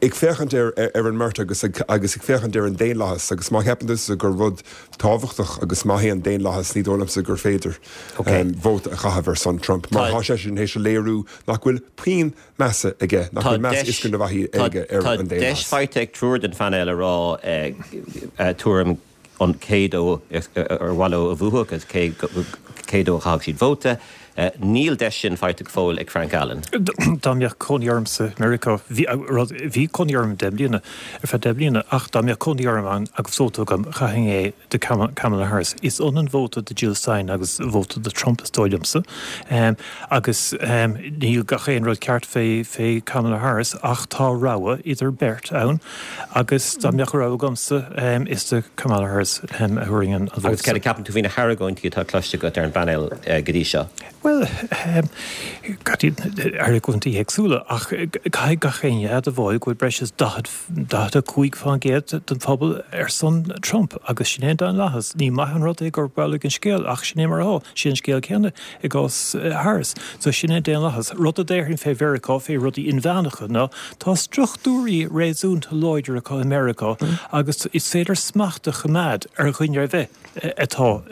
ag féachaint ar, ar an mbeirt agus ag, agus ag féachaint ar an daonlathas agus má cheapann tú gur rud tábhachtach agus maith é an daonlathas ní dóigh liomsa gur féidir Okay. um, vóta a chaitheamh ar son Trump. Mar Tá- tá sé sin théis a léiriú nach bhfuil puinn measa aige, nach bhfuil meas is go bhfaí aige ar Tá an deis daonlathas. faighte ag triúr den phainéal a rá eh, eh, tuairim an cé dó ar mhaith leo a bhuafadh agus cé cé dó a chaithfeadh siad vóta. Níl deis sin faighte go fóill ag Frank Allen. Dá mbeadh cónaí ormsa i Meiriceá, bhí cónaí orm deich mbliana, ar feadh deich mbliana, ach dá mbeadh cónaí orm ann agus vóta agam, chaithfinn é do Kamala Harris. Is ionann vóta do Jill Stein agus vóta do Trump is dóigh liomsa. Agus níl gach aon rud ceart fé fé Kamala Harris ach tá rogha idir beirt ann agus dá mbeadh rogha agamsa is do Kamala Harris a thabharfainn an vóta. Agus céard a cheapann tú faoi na hargóintí atá cloiste agat ar an bpainéal go dtí seo? Bhuel, argóintí éagsúla, ach caithfidh gach éinne a admháil go bhfuil breis is daichead, daichead a cúig fán gcéad den phobal ar son Trump agus sin é an daonlathas. Ní maith an rud é gurb amhlaidh an scéal ach sin é mar atá. Sin an scéal céanna i gcás Harris. So sin é an daonlathas. Rud a déarfainn fé Mheiriceá, fé rudaí inmheánacha ná tá struchtúirí réasúnta láidir acu i Meiriceá agus is féidir smacht a choimeád ar dhuine ar bith atá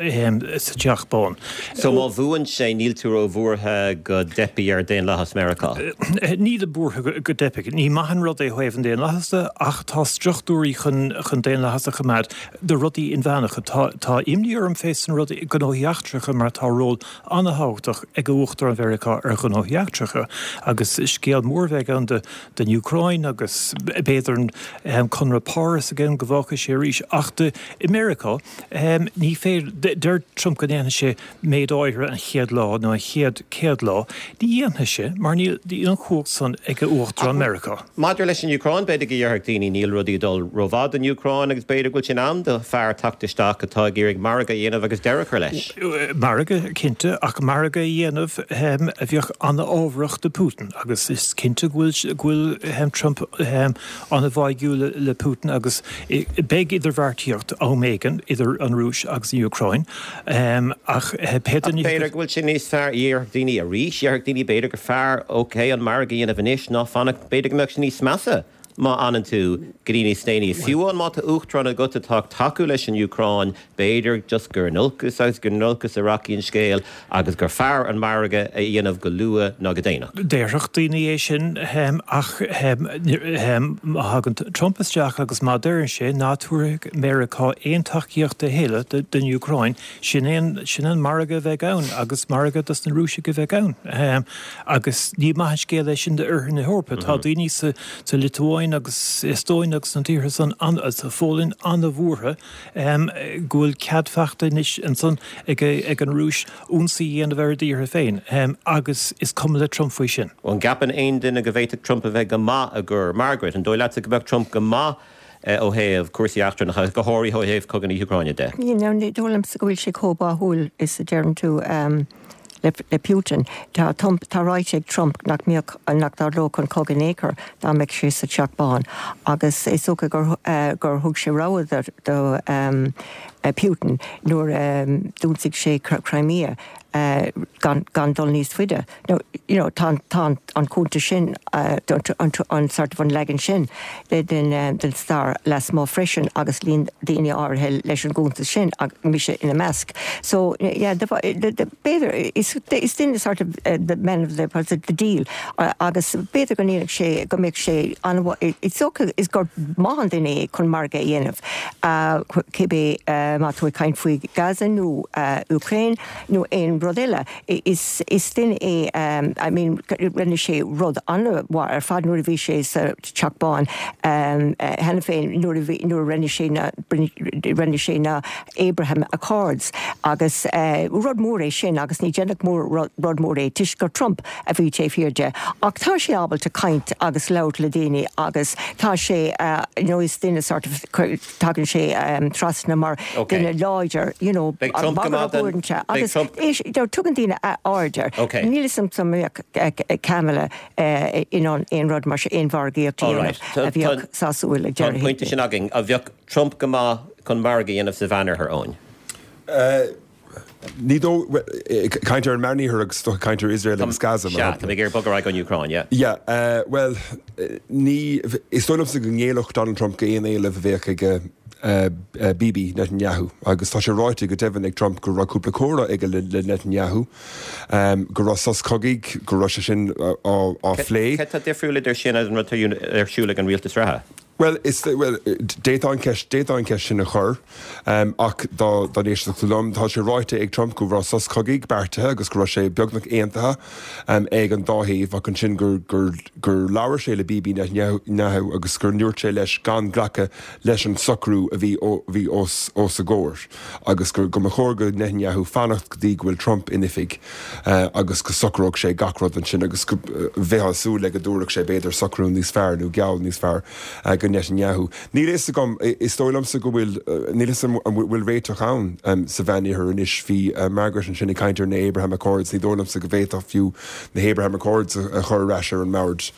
sa Teach Bán. So má bhuann sé níl tú ró-bhuartha go dteipfidh ar daonlathas Meiriceá? Nílim buartha go dteipfidh. Ní maith an rud é ó thaobh an daonlathas de ach tá struchtúirí chun chun daonlathas a choimeád do rudaí inmheánacha. Tá tá imní orm fé sna rudaí gnóthaí eachtracha mar tá ról an-thábhachtach ag Uachtarán Mheiriceá ar ghnóthaí eachtracha agus scéal mór a bheidh ann do don Úcráin agus b'fhéidir an Conradh Páras again go bhfágfaidh sé arís ach do i Meiriceá ní féidir deir Trump go ndéanfaidh sé méid áirithe an chéad lá nó an chéad céad lá ní dhéanfaidh sé mar níl an chumhacht san ag Uachtarán Meiriceá. Maidir leis an Úcráin b'fhéidir go ndéarfadh daoine níl rudaí ag dul rómhaith don Úcráin agus b'fhéidir go bhfuil sé in am do fear teacht isteach atá ag iarraidh margadh a dhéanamh agus deireadh a chur leis. Margadh cinnte ach margadh a dhéanamh a bheadh an-fhábharach do Putin agus is cinnte go bhfuil go bhfuil Trump an-bháúil le Putin agus beidh idirbheartaíocht am éigin idir an Rúis agus an Úcráin ach pé duine B'fhéidir go bhfuil sé níos fearr déarfadh daoine arís, déarfadh daoine b'fhéidir gur fearr ok an margadh a dhéanamh anois ná fanacht b'fhéidir go mbeadh sé níos measa má fhanann tú go dtí níos déanaí. Fiú amháin má tá uachtarán agat atá ag tacú leis an Úcráin, b'fhéidir just gur in olcas agus gur in olcas a rachaidh an scéal agus gur fearr an margadh a dhéanamh go luath ná go déanach. Déarfadh daoine é sin ach má thagann Trump isteach agus má deireann sé ná tabharfaidh Meiriceá aon tacaíocht a thuilleadh don Úcráin, sin é sin an margadh a bheidh ann agus margadh dos na Rúisigh a bheidh ann. Agus ní maith an scéal é sin d'oirthear na hEorpa. Tá daoine sa sa Liotuáin agus Eastóin agus na tíortha san sa Pholainn an-bhuartha go bhfuil cead faighte anois ansan ag ag an Rúis ionsaí a dhéanamh ar a dtíortha féin agus is cuma le Trump faoi sin. An gceapann aon duine go bhféadfadh Trump a bheith go maith i gcur Margaret, an dóigh leatsa go mbeadh Trump go maith ó thaobh cúrsaí eachtrannacha, go háirithe ó thaobh cogadh na hÚcráine de? You know, ní dóigh liomsa go bhfuil sé chomh báúil is a deireann tú le, le Putin. Tá, tá ráite ag Trump nach mbeadh nach dtarlódh an cogadh in aon chor dá mbeadh sé sa Teach Bán. Agus is dócha gur, uh, gur thug sé rabhadh do, do um, uh, Putin nuair um, d'ionsaigh sé Crimea uh, gan, gan dul níos faide. No, you know, tá, tá an cuntas sin uh, an, an sort of an leagan sin den, um, den stair lasmuigh freisin agus luíonn daoine áirithe leis an gcuntas sin ag mise ina measc. So yeah, the, the, the, b'fhéidir is, is duine sort of uh, the men of the, the deal uh, agus b'fhéidir go ndéanfadh sé go mbeadh sé an is dócha is gur maith an duine é chun margadh a dhéanamh. Uh, cibé uh, má tú ag caint faoi Gaza nó uh, Ukraine nó aon rud eile. Is, is duine é um, I mean, rinne sé rud an-mhaith ar fad nuair a bhí sé sa Teach Bán um, uh, cheana féin nuair a bhí nuair rinne sé na rinne sé na Abraham Accords agus uh, rud mór é sin agus ní déanach mór rud mór é toisc gur Trump a bhí taobh thiar de. Ach tá sé ábalta caint agus labhairt le daoine agus tá sé uh, you know, is duine sort of tagann sé um, trasna mar Okay. duine láidir you know, Beidh Trump go maith den- uaireanta. beidh agus Trump- tugann daoine aird air. Okay. Níl a fhios mbeadh Kamala in ann aon rud mar sin aon mhargaíocht All right. a bheadh sásúil ag Tá an pointe sin againn a bheadh Trump go maith chun margadh a dhéanamh sa Mheánoirthear Eoin. Ní dó caint ar an Meánoirthear agus caint ar Israel agus Gaza. mar Sea, shampla. tá mé ag bogadh ar an Úcráin, yeah. Yeah, uh, well, eh, ní is dóigh liomsa go ngéillfeadh Donald Trump go aon éileamh a bheadh ag uh, uh, Bibi Netanyahu agus tá sé ráite go deimhin ag Trump go raibh cúpla comhrá aige le, le Netanyahu um, go raibh sos cogaidh go raibh sé sin á, á phlé. Cé tá difriúil idir sin agus an rud ar siúl ag an rialtas reatha? Well, is well, d'fhéadfá an ceist d'fhéadfá an ceist sin a chur um, ach dá dá n-éistfeá liom tá sé ráite ag Trump go raibh sos cogaidh beartaithe agus go raibh sé beagnach aontaithe um, ag an dá thaobh ach ansin gur gur gur labhair sé le Bibi Netanyahu agus gur ndúirt sé leis gan glacadh leis an socrú a bhí bhí os os a gcomhair agus gur go mba chóir go Netanyahu fanacht go dtí go bhfuil Trump in oifig uh, agus go socródh sé gach rud ansin agus go uh, bheifeá ag súil le go dtabharfadh sé b'fhéidir socrú níos fearr nó geall níos fearr uh, go Netanyahu. Níl a fhios agam is dóigh liomsa go bhfuil níl a fhios an bhfuil réiteach ann um, sa Mheánoirthear anois bhí uh, Margaret ansin ag caint ar na Abraham Accords ní dóigh liomsa go bhféadfá fiú na Abraham Accords a chur ar ais ar an mbord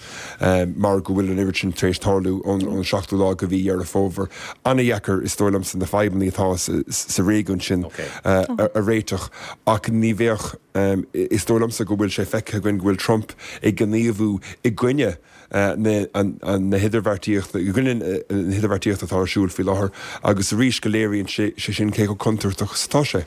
um, mar go bhfuil an oiread sin tar éis tarlú ón ón seachtú lá de mhí Dheireadh Fómhair. An-deacair is dóigh liomsa na fadhbanna atá sa, sa réigiún sin Okay. uh, a, a réiteach ach ní bheadh um, is dóigh liomsa go bhfuil sé feicthe againn go bhfuil Trump ag gníomhú i gcoinne uh, na, an, an, na hidirbheartaíochta i gcoinne uh, na hidirbheartaíochta atá ar siúl faoi láthair agus arís go léiríonn sé sé sin cé chomh contúirteach is atá sé.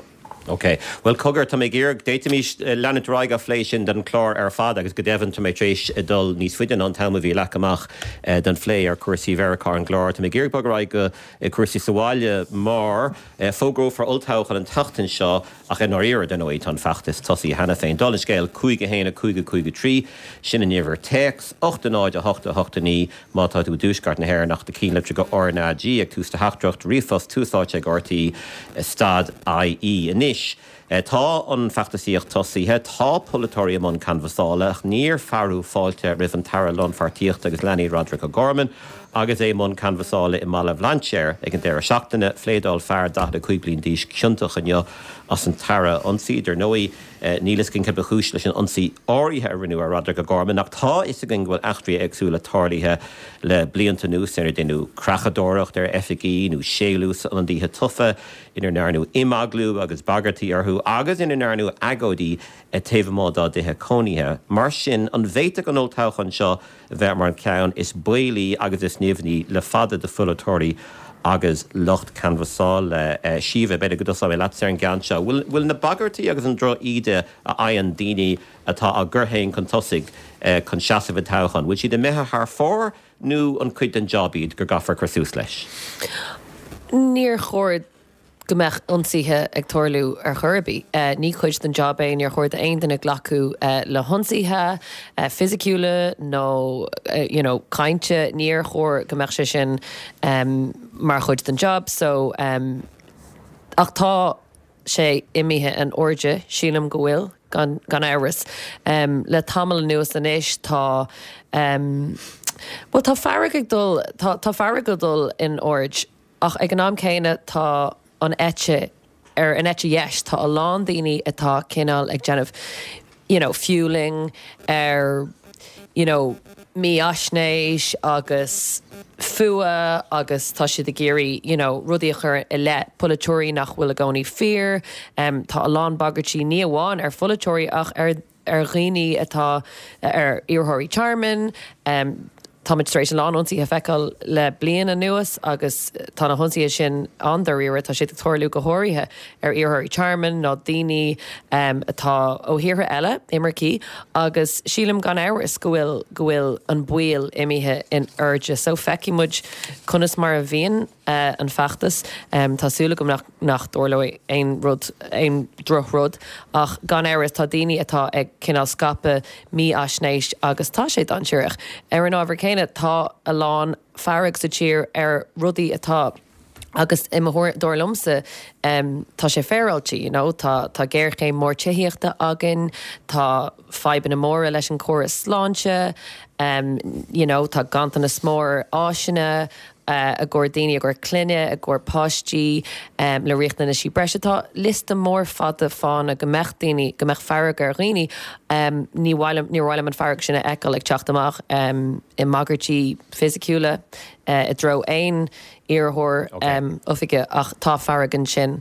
Ok, Well cogar tá mé ag iarraidh d'fhéadfaimis leanúint ar aghaidh á phlé sin den chlár ar fad agus go deimhin tá mé tar éis dul níos faide ná an t-am a bhí leagtha amach eh, den phlé ar cúrsaí Mheiriceá an gclár. Tá mé ag iarraidh bogadh ar aghaidh go eh, cúrsaí sa bhaile mar eh, fógrófar olltoghchán an tseachtain seo ach in áir den nóid an feachtas tosaithe cheana féin. Dála an scéil cúig a haon a cúig a cúig a trí sin an uimhir téacs ocht a náid a hocht a hocht a naoi má tá tú i dtuaisceart na hÉireann ach do cheannlitir go RnaG ag tús do theachtaireacht ríomhphost Tús Áite ag RTÉ stad IE. Anois. Eh, tá an feachtasaíocht tosaithe tá polaiteoirí i mbun canbhasála ach níor fearadh fáilte roimh an tAire Lánpháirtíochta agus Leanaí Roderick O'Gorman agus é i mbun canbhasála i mBaile Bhlainséir ag an deireadh seachtaine phléadáil fear daichead a cúig bliain d'aois ciontach inniu as an tAire a ionsaí dar ndóigh níl a fhios againn cé ba chúis leis an ionsaí áirithe a rinneadh ar Roderick O'Gorman ach tá a fhios againn go bhfuil eachtraí éagsúla tarlaithe le blianta anuas inar deineadh creachadóireacht ar oifigí nó séalús ionadaithe tofa inar ndearnadh imeaglú agus bagairtí orthu agus ina ndearnadh agóidí taobh amuigh dá dtithe cónaithe. Mar sin an bhféadfadh an olltoghchán seo bheith mar an ceann is baolaí agus is nimhní le fada do pholaiteoirí agus lucht canbhasála uh, Síomha b'fhéidir go dtosóidh mé leat ar an gceann seo. Bhfuil na bagairtí agus an drochíde a fhaigheann daoine atá á gcur féin chun tosaigh uh, chun seasamh i dtoghchán. Bhfuil siad imithe thar fóir nó an cuid den job iad go gcaithfear cur suas leis. Níor chóir go mbeadh ionsaithe ag tarlú ar chor ar bith. Uh, ní cuid den job é níor chóir d'aon duine glacadh uh, le hionsaithe uh, fisiciúla nó uh, you know, cainte níor chóir go mbeadh sé sin um, mar chuid den job, so um, ach tá sé imithe in airde sílim go bhfuil gan, gan amhras. Um, le tamall anuas anois tá um, well, tá fearg ag dul tá, tá fearg ag dul in airde ach ag an am céanna tá an eite ar an eite dheis tá a lán daoine atá cineál ag déanamh you know, fueling ar you know, mífhaisnéis agus fuath agus tá siad ag iarraidh you know, rudaí a chur i leith polaiteoirí nach bhfuil i gcónaí fíor, um, tá a lán bagairtí ní amháin ar pholaiteoirí ach ar ar dhaoine atá ar iarrthóirí tearmainn, um, Táimid tar éis a lán ionsaithe a fheiceáil le bliain anuas agus tá na hionsaithe sin an-dáiríre tá siad ag tarlú go háirithe ar iarrthóirí tearmainn nó daoine um, atá ó thíortha eile imircigh agus sílim gan amhras go bhfuil go bhfuil an baol imithe in airde. So feicfidh muid conas mar a bhíonn uh, an feachtas um, Tá súil agam nach, nach dtarlóidh aon rud aon drochrud ach gan amhras tá daoine atá ag cineál scaipeadh mífhaisnéis agus tá sé dainséarach. Ar an ábhar céanna tá a lán fearg sa tír ar rudaí atá agus i dar liomsa um, tá sé féaráilte, you know, tá tá géarchéim mór tithíochta againn, tá fadhbanna móra leis an córas sláinte, um, you know, tá ganntanas mór áiseanna, uh, i gcomhair daoine i gcomhair clainne, i gcomhair páistí um, le riachtanaisí breise tá liosta mór fada fáthanna go mbeadh daoine go mbeadh fearg ar dhaoine um, ní ní mhaith liom an fearg sin a fheiceáil ag teacht amach um, i mbagairtí fisiciúla uh, i dtreo aon iarrthóir okay. um, oifige ach tá fearg ansin.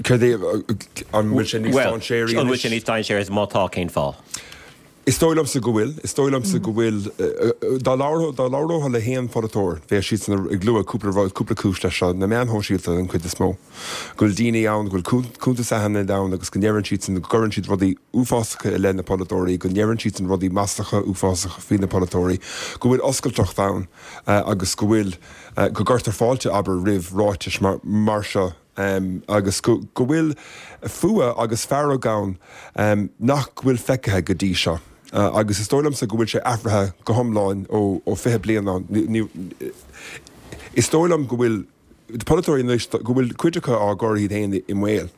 Cad é an bhfuil sé níos An bhfuil sé níos dainséaraí má tá cén fáth? Is dóigh liomsa go bhfuil. Is dóigh liomsa go bhfuil. Dá labhrófá le haon pholaiteoir, bheadh siadsan ag lua cúpla rud, cúpla cúis leis seo, na meáin shóisialta den chuid is mó. Go bhfuil daoine ann, go bhfuil cuntais anaithnid ann agus go ndeireann siadsan, go gcuireann siad rudaí uafásacha i leith na polaiteoirí, go ndeireann siadsan rudaí maslacha uafásacha faoi na polaiteoirí, go bhfuil oscailteacht ann agus go bhfuil, go gcuirtear fáilte, abair, roimh ráitis mar seo. agus go bhfuil fuath agus fearg ann nach bhfuil feicthe go dtí seo. Agus is dóigh liomsa go bhfuil sé athraithe go hiomlán ó fiche bliain ann. Is dóigh liom go bhfuil polaiteoirí anois, go bhfuil cuid acu á gcur iad féin i mbaol.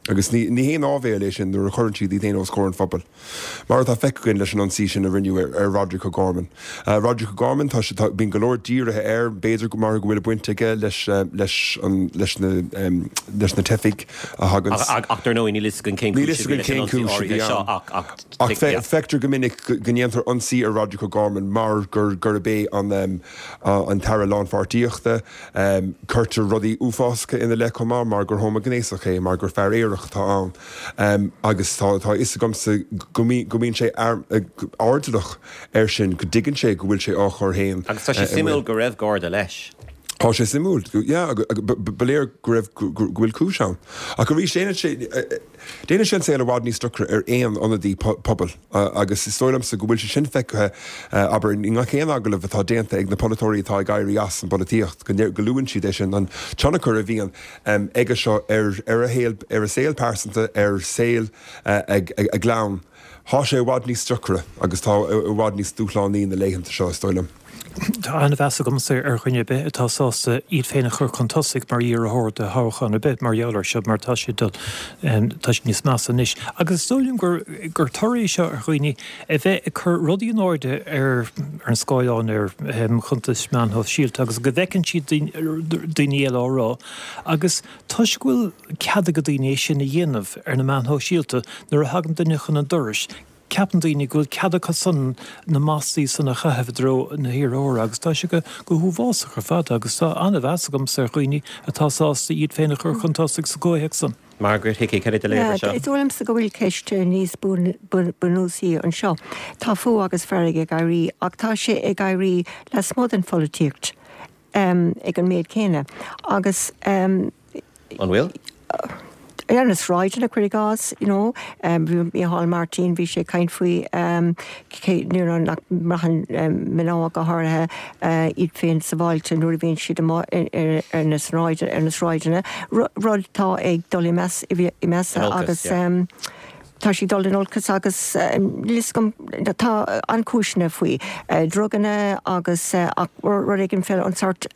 Agus ní haon áibhéil é sin nuair a chuireann siad iad féin os comhair an phobail. Mar atá feicthe againn leis an ionsaí sin a rinneadh ar Roderic O'Gorman. Roderic O'Gorman, tá sé, tá, bíonn go leor dírithe air, b'fhéidir go mar go bhfuil baint aige leis, leis an, leis na, leis na teifigh a thagann. Ach, ach dar ndóigh níl fhios againn cén cúis a bhí leis an ionsaí áirithe seo ach, ach, Ach feictear go minic go ndéantar ionsaí ar Roderic O'Gorman mar gur, gurb é an, an tAire Lánpháirtíochta. Cuirtear rudaí uafásacha ina leith chomh maith mar gur homaighnéasach é, mar gur fear aerach atá ann. Agus tá a fhios agamsa go mbíonn sé airdeallach air sin, go dtuigeann sé go bhfuil sé á chur féin Agus tá sé suimiúil go raibh Garda leis. Tá sé suimiúil, yeah, ba léir go raibh, go bhfuil cúis ann. Ach arís, déanann sé, déanann sé an saol i bhfad níos deacra ar aon ionadaí pobail agus is dóigh liomsa go bhfuil sé sin feicthe, abair, i ngach aon agallamh atá déanta ag na polaiteoirí atá ag éirí as an bpolaitíocht, go luann siad é sin, an tionchar a bhíonn aige seo ar ar a shaol, ar a saol pearsanta, ar saol a gclann. Tá sé i bhfad níos deacra agus tá i bhfad níos dúshlánaí na laethanta seo, is dóigh liom. Tá an-mheas agamsa ar dhuine ar bith atá sásta iad féin a chur chun tosaigh mar iarrthóir do thoghchán ar bith mar gheall air seo mar tá sé dul, tá sé níos measa anois. Agus is dóigh liom gur gur toradh é seo ar dhaoine a bheith ag cur rudaí in airde ar ar an scáileán ar chuntais meán shóisialta agus go bhfeiceann siad daoine eile á rá agus toisc go bhfuil cead ag daoine é sin a dhéanamh ar na meáin shóisialta nuair a thagann duine chun an dorais, Ceapann daoine go bhfuil cead acu san na maslaí san a chaitheamh i dtreo na hiarrthóra agus tá sé go huafásach ar fad agus tá an-mheas agamsa ar dhaoine atá sásta iad féin a chur chun tosaigh sa gcomhthéacs san. Margaret Hickey, cad é do léamh air seo? Is dóigh liomsa go bhfuil ceist níos bunúsaí anseo. Tá fuath agus fearg ag éirí ach tá sé ag éirí lasmuigh den pholaitíocht ag an méid céanna agus. An bhfuil? Ar na sráideanna, cuir i gcás, you know, bhí Micheál Martin, bhí sé ag caint faoi cé, you know, nach mbraitheann mná go háirithe iad féin sábháilte nuair a bhíonn siad amuigh ar na ar na sráideanna, rud atá ag dul i measa agus tá sé ag dul in olcas agus níl fhios agam, tá an-chúiseanna faoi, druganna agus ach rud éigin fé an sórt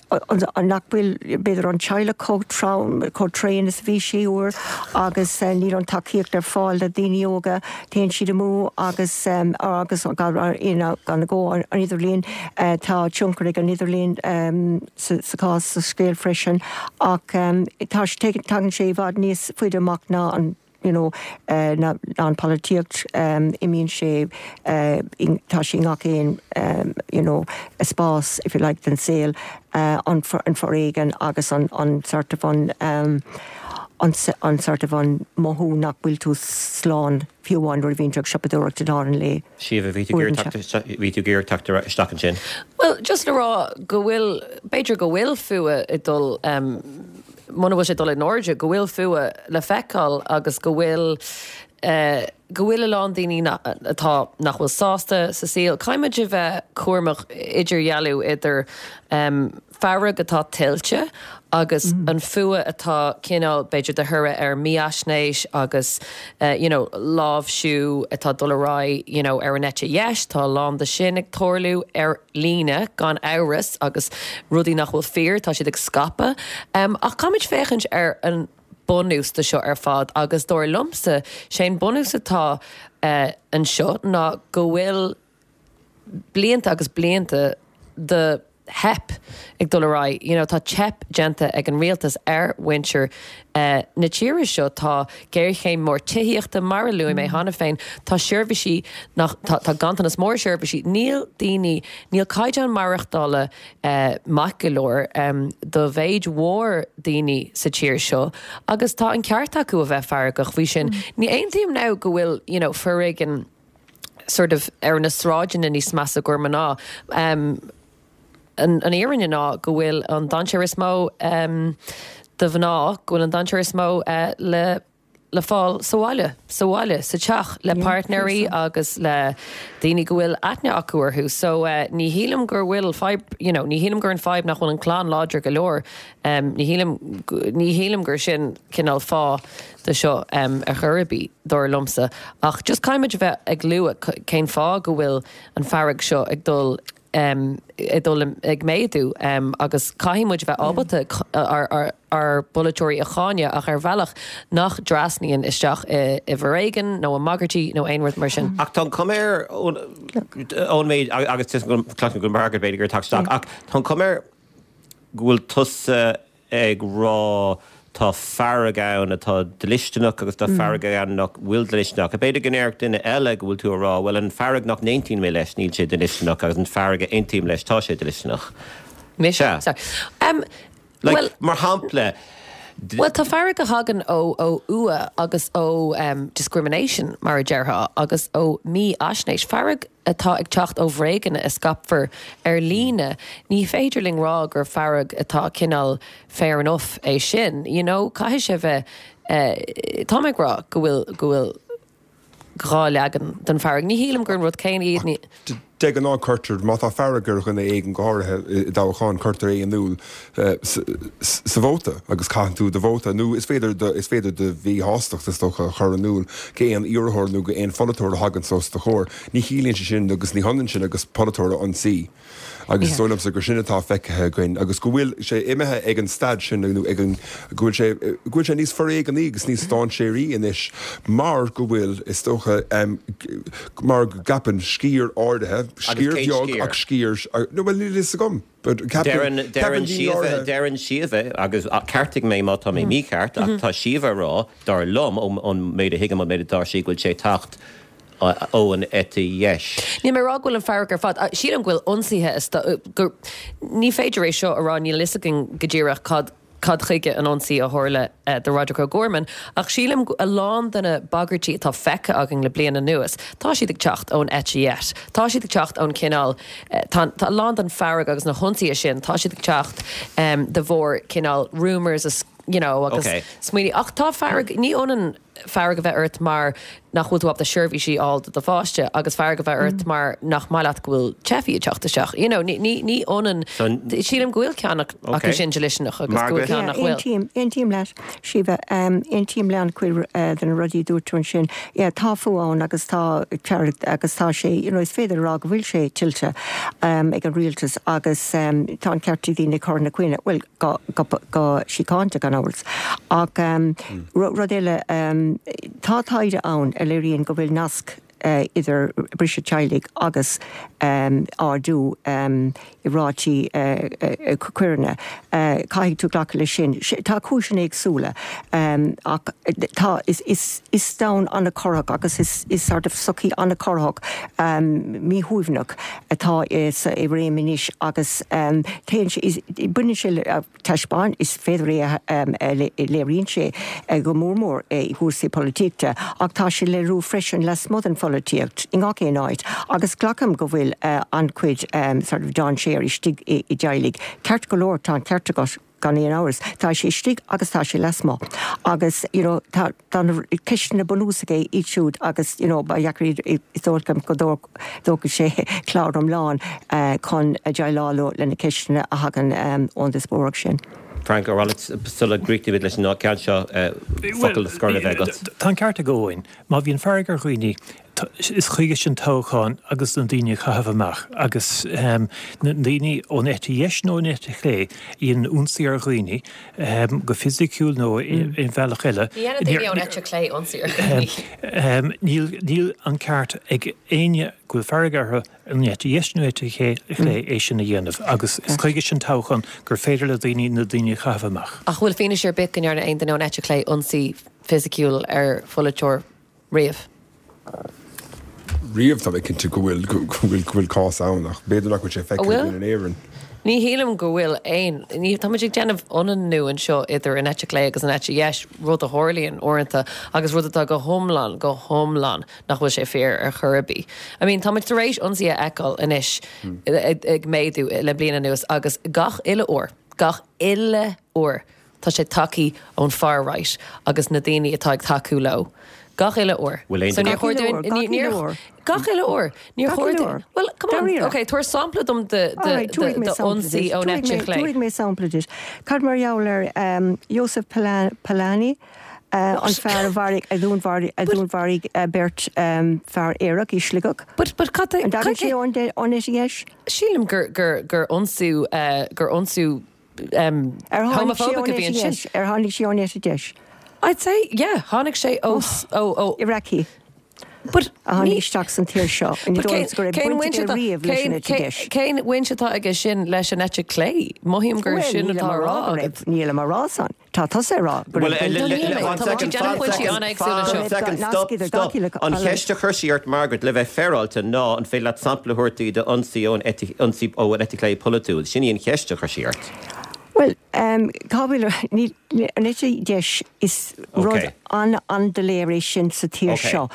nach bhfuil, b'fhéidir, an teaghlach chomh trom, chomh tréan is a bhí sé uair agus níl an tacaíocht ar fáil do daoine óga, téann siad amú agus agus gan agó an idirlíon, tá tionchar ag an idirlíon sa chás, sa scéal freisin ach tá, tagann sé i bhfad níos faide amach ná an. you know ná an polaitíocht, imíonn sé, tá sé i ngach aon you know spás if you like den saol, an foréigean agus an an sort of an an sort of an mothú nach bhfuil tú slán fiú amháin nuair a bhíonn tú ag siopadóireacht i lár an lae. Síomha, bhí tú ag iarraidh bhí tú ag iarraidh teacht isteach ansin. Bhuel, just le rá go bhfuil, b'fhéidir go bhfuil fuath ag dul muna bhfuil sé ag dul in airde, go bhfuil fuath le feiceáil agus go bhfuil go bhfuil a lán daoine atá nach bhfuil sásta sa saol. Caithfidh muid a bheith cúramach idirdhealú idir fearg atá tuillte agus an fuath atá cineál b'fhéidir de thoradh ar mífhaisnéis agus you know láimhsiú atá ag dul ar aghaidh you know ar an eite dheis, tá a lán de sin ag tarlú ar líne gan amhras agus rudaí nach bhfuil fíor tá siad ag scaipeadh. Ach caithfimid féachaint ar an bunús de seo ar fad agus dar liomsa sé an bunús atá anseo ná go bhfuil blianta agus blianta de theip ag dul ar aghaidh. You know, tá teip déanta ag an rialtas ar mhuintir na tíre seo. Tá géarchéim mór tithíochta, mar a luaigh mé cheana féin. Tá seirbhísí nach, tá, tá ganntanas mór seirbhísí. Níl daoine, níl caighdeán maireachtála maith go leor do mhéid mhór daoine sa tír seo agus tá an ceart acu a bheith feargach faoi sin. Ní aontaím now go bhfuil, you know, foréigean, sort of ar na sráideanna níos measa gur mná. Um, an, an fhírinne ná go bhfuil an dainséar is mó um, do mhná, go bhfuil an dainséar is mó uh, le le fáil sa bhaile, sa bhaile, sa teach le páirtnéirí agus le daoine go bhfuil aithne acu orthu. So uh, ní shílim gur bhfuil fadhb, you know, ní shílim gur an fadhb nach bhfuil an clann láidir go leor. Um, ní shílim ní shílim gur sin cineál fáth de seo um, ar chor ar bith dar liomsa. Ach just caithfimid a bheith ag lua cén fáth go bhfuil an fearg seo ag dul um, ag dul ag méadú um, agus caithfidh muid bheith ábalta ár ár bpolaiteoirí a cháineadh ach ar bhealach nach dtrasnaíonn isteach i, i bhforéigean nó i mbagairtí nó aon rud mar sin. Ach tá an chuma air ón méid agus cloisim go Margaret b'fhéidir gur teach ach tá an chuma air go bhfuil tusa ag rá tá fearg ann atá dlisteanach agus tá fearg ann nach bhfuil dlisteanach. B'fhéidir go ndéarfadh duine eile go bhfuil tú ag rá, bhuel an fearg nach n-aontaím mé leis níl sé dlisteanach agus an fearg a aontaím leis tá sé dlisteanach. Mise? Sorry. Um, like, well, mar shampla, Well tá fearg a thagann ó ó fhuath agus ó um, discrimination mar a déarfá agus ó mhífhaisnéis. Fearg atá ag teacht ó bhréaganna a scaipfear ar líne. Ní féidir linn rá gur fearg atá cineál fair enough é sin. You know, caithfidh sé bheith uh, tá ag rá go bhfuil go bhfuil dhá leagan den fearg. Ní shílim gur an rud céanna iad ní. De ghnáth cuirtear má tá fearg ar dhuine éigin go háirithe i dtoghchán cuirtear é in iúl sa vóta agus caitheann tú do vóta nó is féidir is féidir do mhíshástacht is dócha a chur in iúl go aon iarrthóir nó go aon pholaiteoir a thagann os do chomhair. Ní chiallaíonn sé sin agus ní hionann sin agus polaiteoir a ionsaí. Agus is dóigh liomsa gur sin atá feicthe againn agus go bhfuil sé imithe ag an staid sin nó ag an go bhfuil sé go bhfuil sé níos foréigní agus níos dainséaraí anois mar go bhfuil is dócha um, mar go gceapann sciar áirithe sciar beag ach sciar nó bhuel níl a fhios agam. Deireann Deireann Síomha agus ceartaigh mé má tá mé mícheart ach tá Síomha ag rá dar liom ón méid a thuigim an méid atá sí go bhfuil sé ag teacht ó an eite dheis. Níl mé ag rá go bhfuil an fearg ar fad. Sílim go bhfuil ionsaithe gur ní féidir é seo a rá níl a fhios againn go díreach cad cad chuige an ionsaí a tharla do Roderick O'Gorman, ach sílim a lán de na bagairtí atá feicthe againn le bliain anuas, tá siad ag teacht ón eite dheis. Tá siad ag teacht ón cineál tá a lán den fearg agus na hionsaithe sin, tá siad ag teacht um, de bharr cineál rumours you know, agus okay. smaoiní ach tá fearg ní ionann fearg a bheith ort mar nach bhfuil tú ábalta seirbhísí a fháil do do pháiste agus fearg a bheith ort mar nach maith leat go bhfuil teifigh ag teacht isteach. You know, ní ní ní ionann sílim go bhfuil ceann acu sin dlisteanach agus go bhfuil ceann nach bhfuil. Aontaím leat Síomha aontaím le an-chuid de na rudaí a dúirt tú ansin. Yeah, tá fuath ann agus tá agus tá sé you know, is féidir rá go bhfuil sé tuillte um, ag an rialtas agus um, tá an ceart ag daoine cur ina choinne well go, go, go síochánta gan amhras. Ach um, mm. rud eile um, tá taighde ann a léiríonn go bhfuil nasc uh, idir briseadh teaghlaigh agus um, ardú um, i rátaí uh, uh, coireanna. Uh, caithfidh tú glacadh leis sin. Tá cúiseanna éagsúla um, ach tá is, is, is domhan an-chorrach agus is, is sort of sochaí an-chorrach um, míshuaimhneach atá is i réim anois agus um, téann sé is baineann sé le taispeáin is féidir é um, léiríonn sé go mór mór i gcúrsaí polaitíochta ach tá sé léiriú freisin lasmuigh den pholaitíocht i ngach aon áit agus glacaim go bhfuil uh, an-chuid um, sort of dainséar istigh i, i dteaghlaigh. Ceart go leor tá an ceart agat gan aon amhras. Tá sé istigh agus tá sé lasmuigh. Agus you know, tá tá na ceisteanna bunúsacha iad siúd agus you know, ba dheacair is dóigh liom go dtógfadh sé clár iomlán uh, chun déileáil le na ceisteanna a thagann um, ón díospóireacht sin. Frank O'Rourke sula gcríochnaímid leis an ceann seo focal de scor a bheith agat. Tá an ceart ag Eoin, má bhíonn fearg ar dhaoine is chuige sin toghchán agus na daoine a chaitheamh amach agus um, na daoine ón eite dheis nó ón eite chlé a dhéanann ionsaí ar dhaoine um, go fisiciúil nó mm. in bhealach eile. Ní dhéanann daoine ón eite chlé ionsaí ar dhaoine. Um, níl, níl an ceart ag éinne go bhfuil fearg orthu an eite dheis nó eite chlé é sin a dhéanamh agus is chuige sin toghchán gur féidir le daoine na daoine a chaitheamh amach. Ach bhfuil fianaise ar bith go ndearna aon duine ón eite chlé ionsaí fisiciúil ar pholaiteoir riamh? Riamh tá mé cinnte go bhfuil go bhfuil go bhfuil cás ann ach b'fhéidir nach bhfuil sé feicthe in Éirinn. Ní shílim go bhfuil aon, ní, tá muid ag déanamh ionannú anseo idir an eite chlé agus an eite dheis, rud a tharlaíonn uaireanta agus rud atá go hiomlán, go hiomlán nach bhfuil sé fíor ar chor ar bith. I mean, tá muid tar éis ionsaí a fheiceáil anois ag méadú le bliain anuas agus gach uile uair, gach uile uair, tá sé tagtha ón far right agus na daoine atá ag tacú leo. Gach uile uair. Bhfuil aon So níor duine- chóir dúinn- Gach uile ní- níor- uair. Gach uile uair. Níor Gach chóir uile dúinn- uair. Well, come on. Dáiríre. Okay, tabhair sampla dom de de Alright, de tabharfaidh mé de sampla ionsaí duit. ón Tabharfaidh eite mé- chlé. Tabharfaidh mé sampla duit. Cad mar gheall ar um, Joseph Polan- Polanyi, uh, an fear a mharaigh a dhúnmharaigh a dhúnmharaigh uh, beirt um, fear aerach i Sligeach. But but cad An dtagann cad sé ón de- ón eite dheis? Sílim gur gur gur ionsaí uh, gur ionsaí um, Ar tháinig sé homophobic ón a bhí eite ansin. dheis? Ar tháinig sé ón eite dheis? I'd say yeah, tháinig sé ó ó ó Iraqi But a tháinig isteach san tír seo. Ní But dóigh go raibh cén baint bhaint aige atá- riamh leis an cén- eite dheis. Cén bhaint atá aige sin leis an eite chlé? Mothaím gur Well, sin nílim atá a rá rá go agat. raibh- nílim a rá san. Tá tusa ag rá go Well, raibh eh, baint le- No, le- níl le- mé. one Tá second, muid ag déanamh one pointí second, an-éagsúla one seo. second, Nasc stop, idir stop. gach uile- An cheist a chuir sí ort Margaret le bheith féaráilte ná an féidir leat sampla a thabhairt di d'ionsaí ón eite- ionsaí ó an eite chlé polaitiúil. Sin í an cheist a chuir sí ort. Well, um, cá bhfuil ní an eite dheis is rud Okay. an an-doiléir é sin sa tír Okay. seo.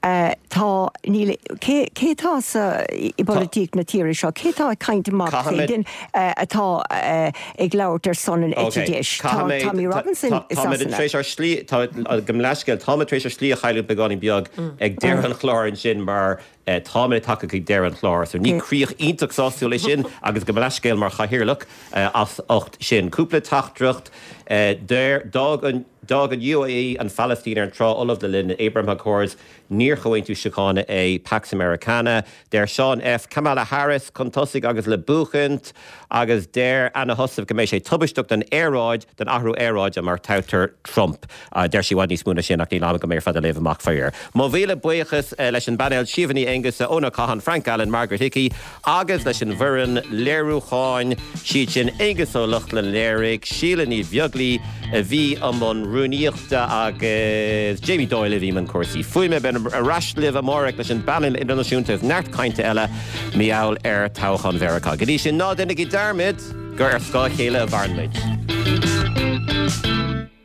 Uh, tá níl cé cé tá sa i bpolaitíocht na tíre seo, cé tá ag caint amach Caithfidh duine uh, atá uh, ag labhairt ar son an eite dheis. Tá Tommy Robinson i Tá Sasana. tar éis ár slí gabh mo leithscéal tá tar éis ár slí a chailleadh beagáinín beag ag deireadh an chláir ansin mar eh, tá tagtha chuig deireadh an chláir, so ní críoch iontach sásúil é sin agus gabh mo leithscéal mar chathaoirleach eh, as ucht sin. Cúpla teachtaireacht eh, deir d'fhág an D'fhág an UAE an Phalaistín ar an trá fholamh le linn Abraham Accords níor chomhaontú síochána é Pax Americana, deir Sean F. Kamala Harris chun tosaigh agus le buachaint agus deir Anna Husaf go mbeidh sé tubaisteach don aeráid den athrú aeráide má toghtar Trump. Uh, deir sí i bhfad níos mó ná sin ach níl am agam ar fad a léamh amach faraor. Mo mhíle buíochas uh, leis an bpainéal Síomha Ní Aonghusa Eoin Ó Catháin Frank Allen Margaret Hickey agus leis an bhfoireann léiriúcháin siad sin Aengus Ó Lochlainn léirigh Síle Ní Bheaglaoich a bhí i mbun rúnaíochta agus Jamie Doyle a bhí i mbun cúrsaí. Fuaime beidh ar ais libh amárach leis an bpainéal idirnáisiúnta is neart cainte eile mar gheall ar toghchán Mheiriceá. Go dtí sin ná déanaigí dearmad gur ar scáth a chéile a mhaireann muid.